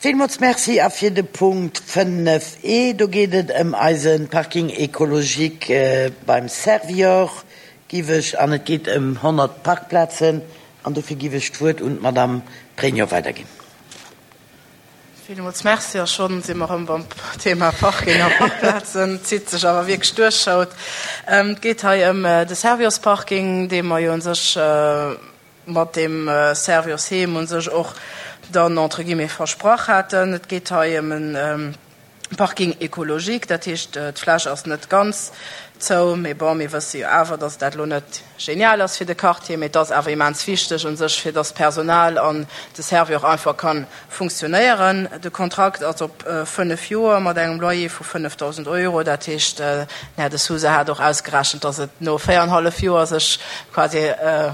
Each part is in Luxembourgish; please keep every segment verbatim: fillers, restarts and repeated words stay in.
Villmools Merci. A fir de Punkt fënnef E, do geet et ëm eise Parking écologique beim Servior, giff ech, an et geet ëm honnert Parkplazen, an dofir giff ech d'Wuert un d'Madame Pregno weiderginn. Villmools Merci. A schonn si mer erëm beim Thema Parking a Parkplazen. Et zitt sech awer wierklech duerch haut. Et geet hei ëm de Servior-Parking, dee mer jo u sech mat deem Servior-Heem u sech och dann entre guillemets versprach haten. Et geet hei ëm e Parking écologique, dat heescht, d'Fläch ass net ganz zou, mee bon, mir wësse jo awer, dass dat elo net genial ass fir de Quartier, mee et ass awer immens wichteg u sech, fir dass d'Personal an de Servior einfach ka funktionéieren. De Kontrakt ass op fënnef Joer mat engem Loyer vu fënnefdausend Euro, dat heescht, den Här De Sousa hat och ausgerechent, dass et no véierenhallef Joer sech quasi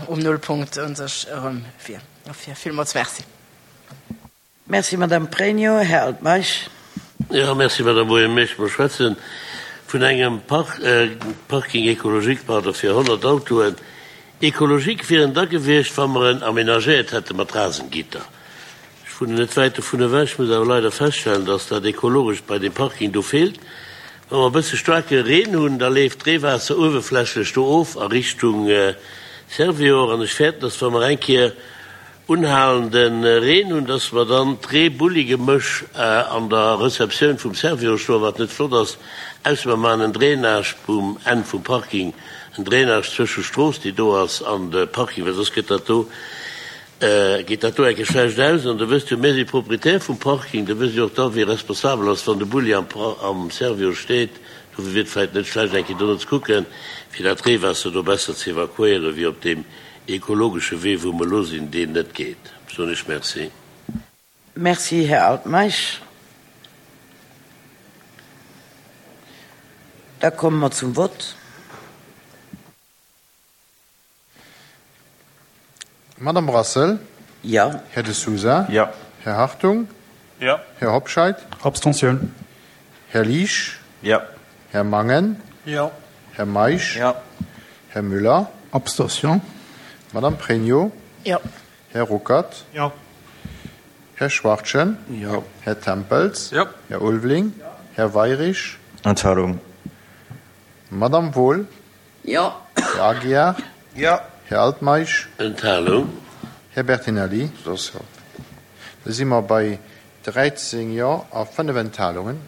um Nullpunkt u sech erëm wier. Dofir villmools Merci. Merci, Madame Pregno. Här Altmeisch. Jo, merci, Madame Boehm-Meisch. Mer schwätze vun engem Parking écologique, pardon, fir honnert Autoen. Écologique wier en da gewiescht, wa mer en aménagéiert hätte mat Rasengitter. Ech wunnen net wäit dovun ewech, muss awer leider feststellen, dass dat Ekologescht bei deem Parking do feelt. Wa mer e bësse staarke Reen hunn, da leeft d'Reewaasser uewerflächlech do of a Richtung Servior. An ech fäerten, dass, wa mer eng Kéier unhalende Reen hunn, dass mer dann d'Ree-Bulli-Gemësch an der Receptioun vum Servior stoen, wat net flott ass, ausser mer maachen en Drainage um Enn vum Parking, en Drainage zwësche Strooss, déi do ass, an de Parking, well soss gëtt dat do, geet dat do enke schlecht aus. An da wësst jo, mir si Proprietär vum Parking, da wësst Dir och da, wie responsabel ass, wann de Bulli am am Servior steet. Dofir wier et vläicht net schlecht, eng Kéier dono ze kucken, fir dat Reewaasser do besser ze evakuéieren, wéi op deem ekologesche Wee, wou mer elo sinn, deen net geet. Soen ech Merci. Merci, Här Altmeisch. Da komme mer zum Vott. Madame Brassel? Jo. Här De Sousa? Jo. Här Hartung? Jo. Här Hobscheit? Abstention. Här Liesch? Jo. Här Mangen? Jo. Här Meisch? Jo. Här Müller? Abstention. Madame Pregno? Jo. Här Ruckert? Jo. Här Schwachtgen? Jo. Här Tempels? Jo. Här Ulveling? Jo. Här Weirich? Enthalung. Madame Wohl? Jo. Här Aguiar? Jo. Här Altmeisch? Enthalung. Här Bertinelli? Abstention. Da si mer bei dräizéng Jo a fënnef Enthalungen.